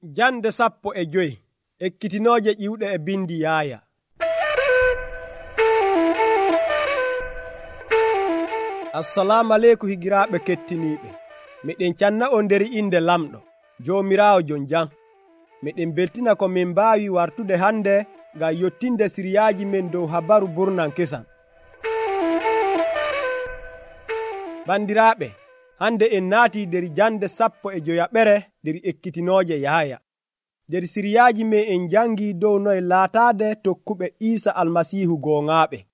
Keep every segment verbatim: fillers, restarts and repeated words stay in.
Jande sappo e joyi ekkitinooje ƴiwɗe e bindi Yaaya. Assalamu aleykum higiraaɓe kettiniiɓe. Miɗen canna on nder inde lamɗo Joomiraawo jon jam. Miɗen beltina ko min mbaawi wartude hande ngam yottinde siriyaaji men dow habaru burnan kesan. Bandiraaɓe, hande en naatii nder jande sappo e joyaɓere nder ekkitinooje Yaaya. Nder siriyaaji men en jangii dow noye laataade tokkuɓe Iisa Almasiihu gooŋaaɓe.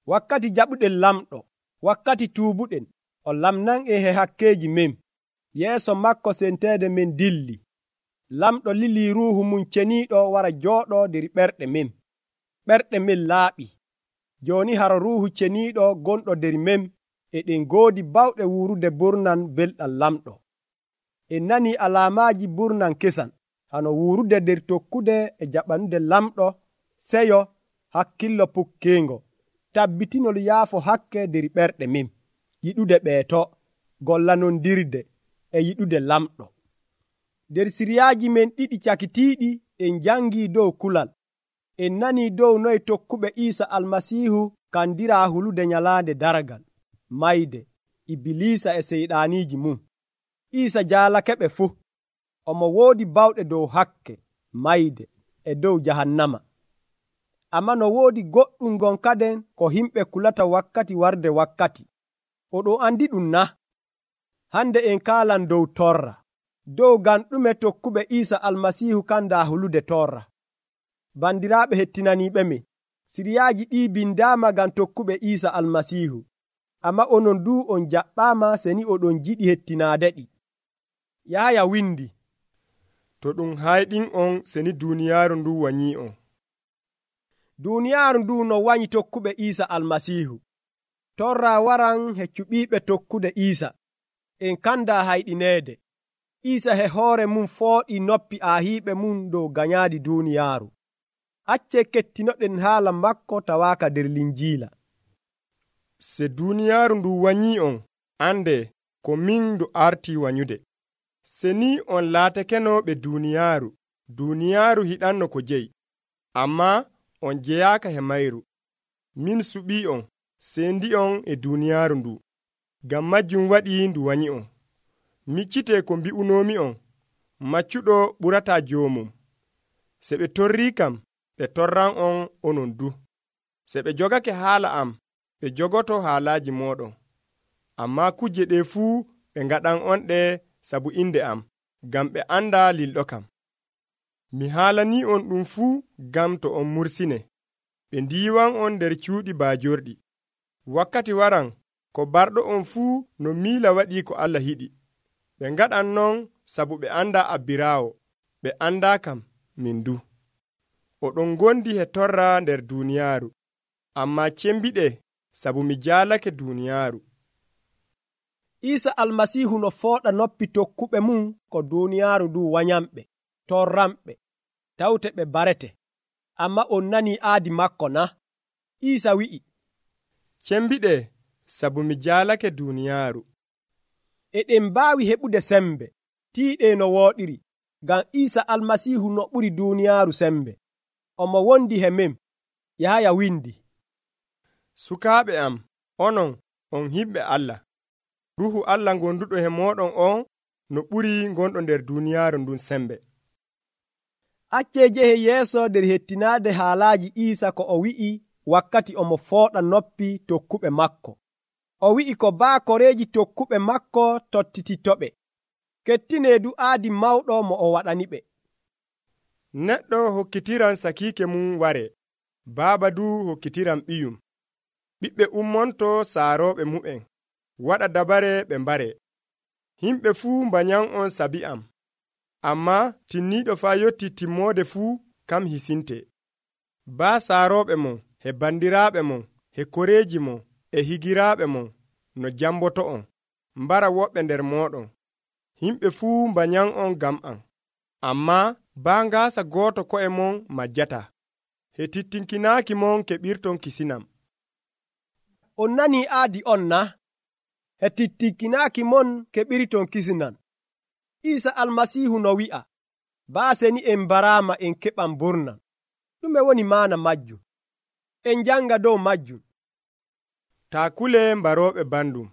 Wakkati jaɓuɗen lamɗo, wakkati tuubuɗen, o lamnan en he hakkeeji men. Yeeso makko senteede men dilli. Lamɗo lilii ruuhu mum ceniiɗo wara jooɗoo nder ɓerɗe men. Ɓerɗe men laaɓii. Jooni haro ruuhu ceniiɗo gonɗo nder men e ɗen ngoodi bawɗe wuurude burnan belɗam lamɗo. En nanii alaamaaji burnan kesan hano wuurude nder tokkude e jaɓanude lamɗo, seyo, hakkillo pukkeengo, tabbitinol yaafo hakke nder ɓerɗe men, yiɗude ɓeeto, gollanondirde e yiɗude lamɗo. Nder siriyaaji men ɗiɗi cakitiiɗi en jangii dow kulal. En nanii dow noye tokkuɓe Iisa Almasiihu kandiraa hulude nyalaande daragal, mayde, Ibiliisa e seyɗaaniiji mum. Iisa jaalake ɓe fuu. Omo woodi bawɗe dow hakke, mayde, e dow jahannama. Ammaa no woodi goɗɗum gonkaden ko himɓe kulata wakkati warde wakkati. Oɗon andi ɗum na? Hande en kaalan dow torra. Dow ngam ɗume tokkuɓe Iisa Almasiihu kandaa hulude torra. Bandiraaɓe hettinaniiɓe men, siriyaaji ɗii bindaama ngam tokkuɓe Iisa Almasiihu. Ammaa onon duu on jaɓɓaama seni oɗon jiɗi hettinaade ɗi. Yaaya windi, to ɗum hayɗin on seni duuniyaaru ndu wanyii on. Duuniyaaru ndu no wanyi tokkuɓe Iisa Almasiihu. Torra waran he cuɓiiɓe tokkude Iisa. En kandaa hayɗineede. Iisa he hoore mum fooɗii noppi aahiiɓe mum dow ganyaadi duuniyaaru. Accee kettinoɗen haala makko tawaaka nder Linjiila. Se duuniyaaru ndu wanyii on, ande ko min ndu artii wanyude. Se ni on laatakeno ɓe duuniyaaru, duuniyaaru hiɗanno ko jeyi, ammaa on jeyaaka he mayru. Min suɓii on, seendi on e duuniyaaru ndu, ngam majjum waɗii ndu wanyi on. Miccitee ko mbi'unoomi on, maccuɗo ɓurataa joomum. Se ɓe torrii kam, ɓe torran on onon du. Se ɓe jogake haala am, ɓe jogoto haalaaji mooɗon. Ammaa kuje ɗe fuu ɓe ngaɗan on ɗe sabu inde am, ngam ɓe anda lilɗo kam. Mi haalanii on ɗum fuu ngam to on mursine. Ɓe ndiiwan on nder cuuɗi baajorɗi. Wakkati waran ko barɗo on fuu no miila waɗii ko Allah yiɗi. Ɓe ngaɗan non sabu ɓe anda abbiraawo, ɓe anda kam min du. Oɗon gondi he torra nder duuniyaaru, ammaa cembiɗe sabu mi jaalake duuniyaaru. Iisa Almasiihu no fooɗa noppi tokkuɓe mum ko duuniyaaru ndu wanyamɓe, torramɓe, tawte ɓe barete. Ammaa on nanii aadi makko na? Iisa wi'i, cembiɗe sabu mi jaalake duuniyaaru. Eɗen mbaawi heɓude sembe, tiiɗe no wooɗiri, ngam Iisa Almasiihu no ɓuri duuniyaaru sembe. Omo wondi he men. Yaaya windi, sukaaɓe am, onon on himɓe Allah. Ruuhu Allah gonduɗo he mooɗon on no ɓuri gonɗo nder duuniyaaru ndun sembe. Accee jehe yeeso nder hettinaade haalaaji Iisa ko o wi'i wakkati omo fooɗa noppi tokkuɓe makko. O wi'i ko baakoreeji tokkuɓe makko tottititoɓe. Kettinee du aadi mawɗo mo o waɗaniɓe. Neɗɗo hokkitiran sakiike mum ware, baaba du hokkitiran ɓiyum. Ɓiɓɓe ummonto saarooɓe mu'en, waɗa dabare ɓe mbare. Himɓe fuu mbanyan on sabi am, ammaa tinniiɗo faa yotti timmoode fuu kam hisinte. Baa saarooɓe mon, he bandiraaɓe mon, he koreeji mon, e higiraaɓe mon no jamboto on, mbara woɓɓe nder mooɗon. Himɓe fuu mbanyan on ngam am, ammaa baa ngaasa gooto ko'e mon majjata. He tittinkinaaki mon keɓirton kisinam. On nanii aadi on na? He tittinkinaaki mon keɓirton kisinan. Iisa Almasiihu no wi'a, baaseni en barama en keɓan burnan. Ɗume woni maana majjum? En janga dow majjum. taa kule mbarooɓe bandum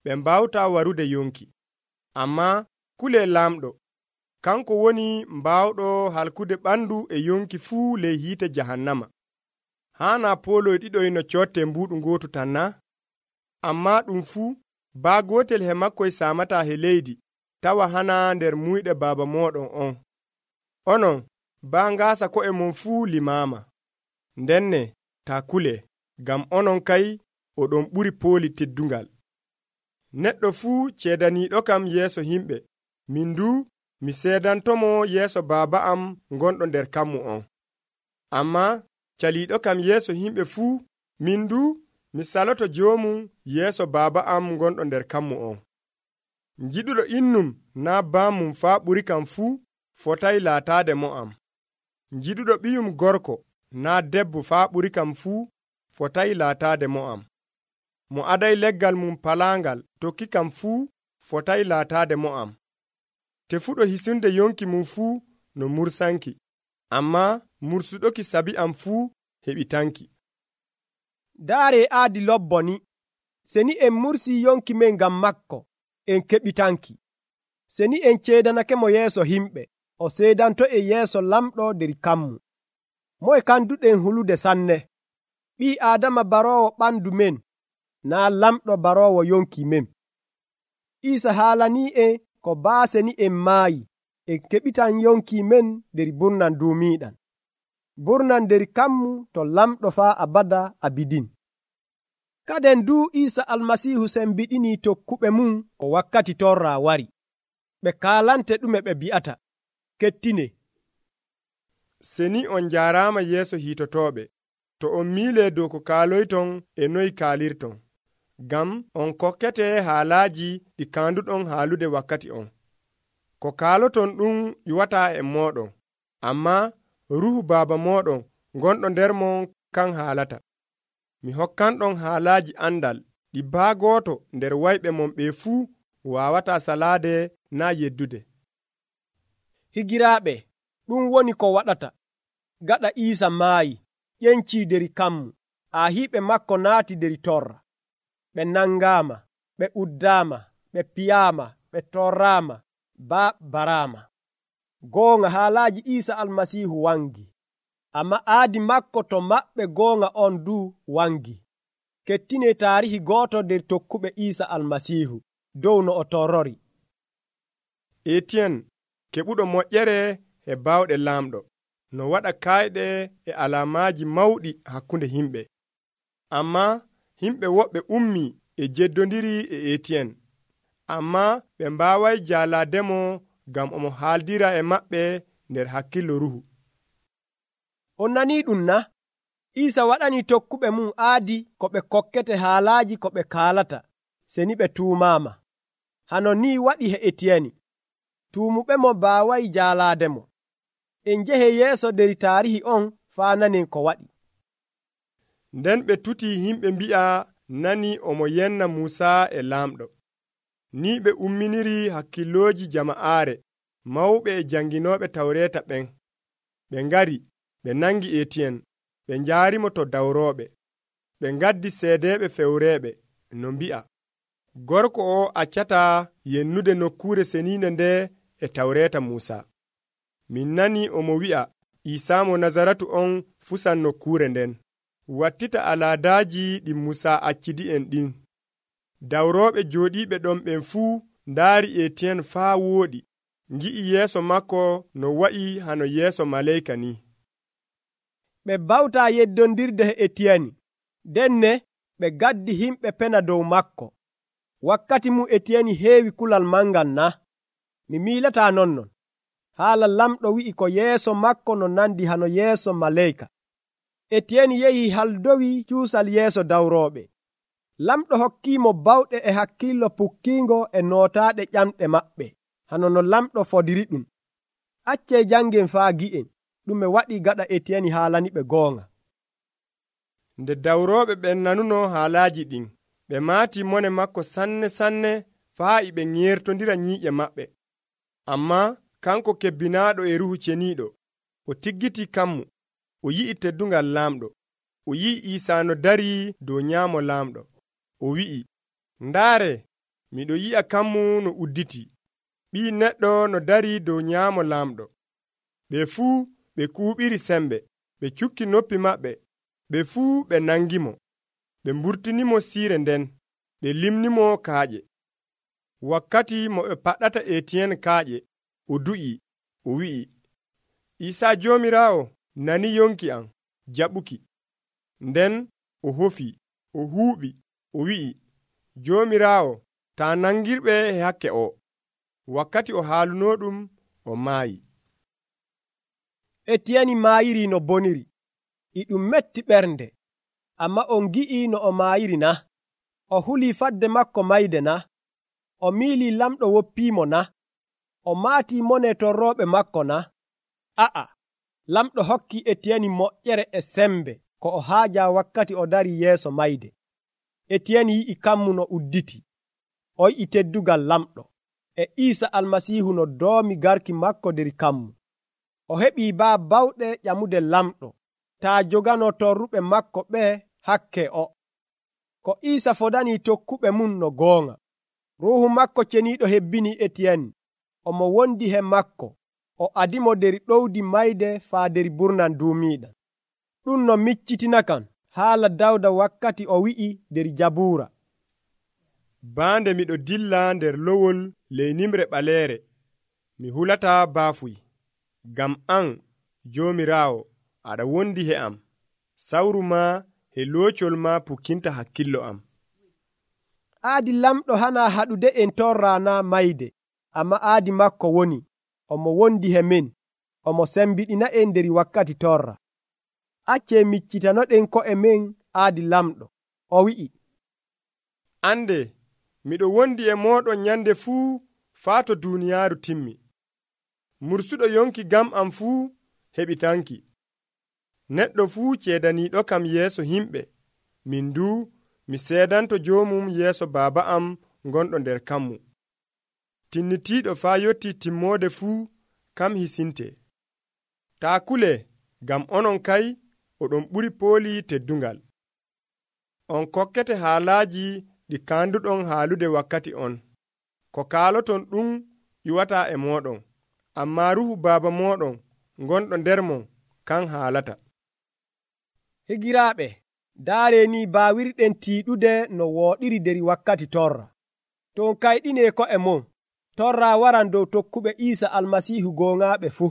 ɓe mbawta warude yonki, amma kule lamɗo kanko woni mbawɗo halkude ɓandu e yonki fuu ley hiite jahannama. Haana poloy ɗiɗoy no cotte mbuɗu ngotu tan na? Amma ɗum fuu baa gotel he makkoy samata he leydi tawa hana nder muyɗe baaba moɗon on. Onon baa ngaasa ko'e mon fuu limama. Ndenne taa kule, gam onon kay oɗon ɓuri pooli teddungal. Neɗɗo fuu ceedaniiɗo kam yeeso himɓe, min du mi seedantomo yeeso baaba am gonɗo nder kammu on. Amma caliiɗo kam yeeso himɓe fuu, min du mi saloto joomum yeeso baaba am gonɗo nder kammu on. Njiɗuɗo innum naa baamum faa ɓuri kam fuu fotay laataade mo am. Njiɗuɗo ɓiyum gorko naa debbo faa ɓuri kam fuu fotay laataade mo am. Mo aday leggal mum palaangal tokki kam fuu fotay laataade mo am. Tefuɗo hisunde yonki mum fuu no mursanki, amma mursuɗoki sabi am fuu heɓitanki. Daare aadi lobbo ni, seni en mursi yonki men ngam makko, en keɓitanki. Seni en ceedanake mo yeeso himɓe, o seedanto e yeeso lamɗo der kammu. Moye kanduɗen hulude sanne? Ɓii Aadama baroowo ɓandu men, naa lamɗo baroowo yonki men. Iisa haalanii en ko baaseni en maayi, en keɓitan yonki men der burnan duumiiɗan. Burnan der kammu to lamɗo faa abada abidin. Kaden du Iisa almasiihu sembiɗinii tokkuɓe mum ko wakkati torra wari. Ɓe kaalante ɗume ɓe bi'ata. Kettine. Seni on jaaraama yeeso hiitotooɓe, to on miilee dow ko kaaloyton e noy kaalirton, ngam on kokkete haalaaji ɗi kaanduɗon haalude wakkati on. Ko kaaloton ɗum ƴuwataa e mooɗon, amma ruhu baaba mooɗon gonɗo nder mon kan haalata. Mi hokkanɗon haalaaji andal ɗi baa gooto nder wayɓe mon ɓe fuu waawataa salaade naa yeddude. Higiraaɓe, ɗum woni ko waɗata. Gaɗa Iisa maayi, ƴencii der kammu, aahiiɓe makko naati der torra. Ɓe nangaama, ɓe uddaama, ɓe piyaama, ɓe torraama, baa baraama. Goonga haalaaji Iisa almasiihu wangi, amma aadi makko to maɓɓe goonga on du wangi. Kettine taarihi gooto der tokkuɓe Iisa almasiihu dow no o torrori. Etiyen keɓuɗo moƴƴere e baawɗe laamɗo no waɗa kayɗe e alaamaaji mawɗi hakkunde himɓe. Amma himɓe woɓɓe ummi e jeddondiri e Etiyen, amma ɓe mbaaway jaalaademo ngam omo haaldira e maɓɓe nder hakkillo ruhu. On nanii ɗum na? Iisa waɗani tokkuɓe mum aadi ko ɓe kokkete haalaaji ko ɓe kaalata, seni ɓe tuumaama. Hano ni waɗi he Etiyeni. Tuumuɓe mo baaway jaalaademo. En njehe yeeso der taarihi on faa nanen ko waɗi. Nden ɓe tuti himɓe mbi'a nani omo yenna Muusaa e laamɗo. Ni ɓe umminiri hakkillooji jama'aare, mawɓe e janginooɓe tawreeta ɓen. Ɓe ngari, ɓe nangi Etiyen, ɓe njaarimo to dawrooɓe. Ɓe ngaddi seedeeɓe fewreeɓe, no mbi'a, gorko o accataa yennude nokkuure seniinde nde e tawreeta Muusaa. Min nani omo wi'a Iisaa mo Nazaratu on fusan nokkuure nden, wattita alaadaaji ɗi Muusaa accidi'en ɗin. Dawrooɓe jooɗiiɓe ɗon ɓen fuu ndaari Etiyen faa wooɗi, ngi'i yeeso makko no wa'i hano yeeso maleyka ni. Ɓe bawtaa yeddondirde he Etiyeni, denne ɓe gaddi himɓe pena dow makko. Wakkati mu Etiyeni heewi kulal mangal na? Mi miilataa nonnon. Haala lamɗo wi'i ko yeeso makko no nandi hano yeeso maleyka. Etiyeni yehi haldowi cuusal yeeso dawrooɓe. Lamɗo hokkiimo bawɗe e hakkillo pukkiingo e nootaaɗe ƴamɗe maɓɓe, hano no lamɗo fodiri ɗum. Accee jangen faa gi'en, ɗume waɗi gaɗa Etiyeni haalani ɓe goonga. Nde dawrooɓe ɓen nanuno haalaaji ɗin, ɓe maati mone makko sanne sanne faa e ɓe ŋeertondira nyiiƴe maɓɓe. Amma kanko kebbinaaɗo e Ruuhu Ceniiɗo, o tiggiti kammu, o yi'i teddungal laamɗo, o yi'i Iisaa no darii dow nyaamo laamɗo. O wi'i, ndaare, miɗo yi'a kammu no udditi, Ɓii Neɗɗo no darii dow nyaamo laamɗo. Ɓe fuu ɓe kuuɓiri sembe, ɓe cukki noppi maɓɓe, ɓe fuu ɓe nangimo, ɓe mburtinimo siire nden, ɓe limnimo kaaƴe. Wakkati mo ɓe paɗɗata Etiyen kaaƴe, o du'i, o wi'i, Iisaa Joomiraawo nani yonki am jaɓuki. Nden o hofi, o huuɓi, o wi'i, Joomiraawo, taa nangirɓe e hakke o. Wakkati o haalunoo ɗum, o maayi. Etiyeni maayiri no boniri, e ɗum metti ɓernde, amma on gi'i no o maayiri na? O hulii fadde makko mayde na? O miilii lamɗo woppiimo na? O maatii mone torrooɓe makko na? A'a, lamɗo hokki Etiyeni moƴƴere e sembe ko o haaja wakkati o darii yeeso mayde. Etiyeni yi'i kammu no udditi, o yi'i teddugal lamɗo, e Iisa Almasiihu no doomi garki makko der kammu. O heɓii baa bawɗe ƴamude lamɗo, taa jogano torruɓe makko ɓe hakke o. Ko Iisa fodanii tokkuɓe mum no goonga. Ruuhu makko Ceniiɗo hebbini Etiyeni, omo wondi he makko, o adimo der ɗowdi mayde faa der burnan duumiiɗam. Ɗum no miccitina kan haala Dawda wakkati o wi'i der Jabuura, baande miɗo dilla nder lowol ley nimre ɓaleere, mi hulataa baafuy, ngam an, Joomiraawo, aɗa wondi he am, sawru ma e loocol ma pukkinta hakkillo am. Aadi lamɗo hana haɗude en torra na mayde, amma aadi makko woni, omo wondi he min, omo sembiɗina en der wakkati torra. Acce miccitanoɗen ko'e men aadi lamɗo. O wi'i, Ande, miɗo wondi e mooɗon nyande fuu faa to duuniyaaru timmi. Mursuɗo yonki gam am fuu heɓitanki. Neɗɗo fuu ceedaniiɗo kam yeeso himɓe, min du mi seedanto joomum yeeso baaba am gonɗo nder kammu. Tinnitiiɗo faa yotti timmoode fuu kam hisinte. Taa kule, gam onon kay oɗon ɓuri pooli teddungal. On kokkete haalaaji ɗi kaanduɗon haalude wakkati on. Ko kaaloton ɗum ƴuwataa e mooɗon, ammaa Ruuhu Baaba mooɗon gonɗo nder mon kan haalata. Higiraaɓe, daare ni baawirɗen tiiɗude no wooɗiri der wakkati torra. To on kayɗinee ko'e mon, torra waran dow tokkuɓe Iisa Almasiihu gooŋaaɓe fuu.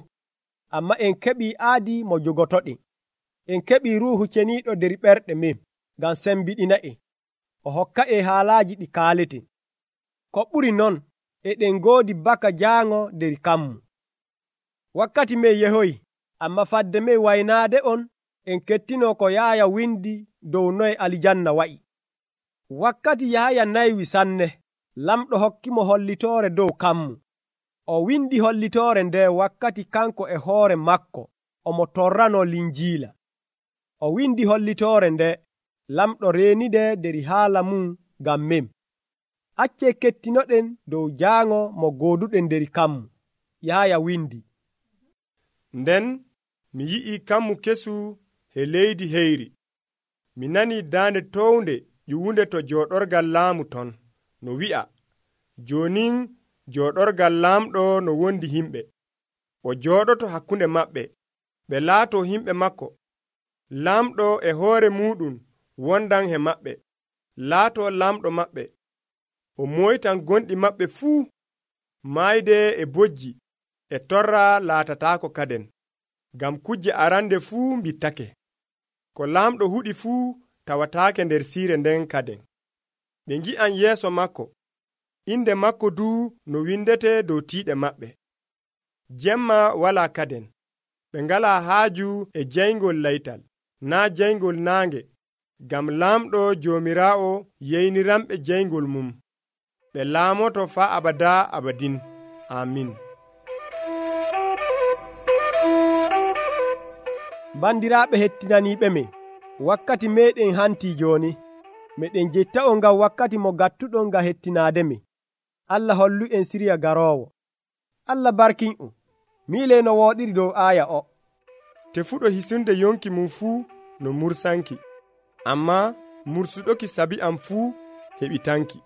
Amma en keɓii aadi mo jogotoɗen. En keɓii Ruuhu Ceniiɗo der ɓerɗe men, ngam sembiɗina'en. O hokka'en haalaaji ɗi kaaleten. Ko ɓuri non, eɗen ngoodi baka jaaŋo der kammu. Wakkati men yehoyi, amma fadde men waynaade on, en kettino ko Yaaya windi dow noye alijanna wa'i. Wakkati Yahaya naywi sanne, lamɗo hokkimo hollitoore dow kammu. O windi hollitoore nde wakkati kanko e hoore makko omo torrano linjiila. O windi hollitoore nde, lamɗo reenide der haala mum ngam men. Acce kettinoɗen dow jaaŋo mo gooduɗen der kammu. Yahaya windi, Nden mi yi'i kammu kesu he leydi heyri. Mi nani daande townde ƴuwunde to jooɗorgal laamu ton, no wi'a, Joonin jooɗorgal laamɗo no wondi himɓe. O jooɗoto hakkunde maɓɓe, ɓe laato himɓe makko. Laamɗo e hoore muɗum wondan he maɓɓe, laato laamɗo maɓɓe. O moytan gonɗi maɓɓe fuu. Maayde e bojji e torra laatataako kaden, ngam kujje arande fuu mbittake. Ko laamɗo huɗi fuu tawataake nder siire nden kaden. Ɓe ngi'an yeeso makko, inde makko duu no windete dow tiiɗe maɓɓe. Jemma walaa kaden, ɓe ngalaa haaju e jayngol laytal, naa jayngol naange, ngam laamɗo Joomiraawo yeyniranɓe jayngol mum. Ɓe laamoto faa abadaa abadin. Amin. Bandiraaɓe hettinaniiɓe men, wakkati meeɗen hantii jooni. Meɗen jetta'on ngam wakkati mo gattuɗon ngam hettinaade men. Allah hollu en siriya garoowo. Allah barkin'on. miile no wooɗiri dow aaya o. Tefuɗo hisunde yonki mum fuu no mursanki, ammaa mursuɗoki sabi am fuu heɓitanki.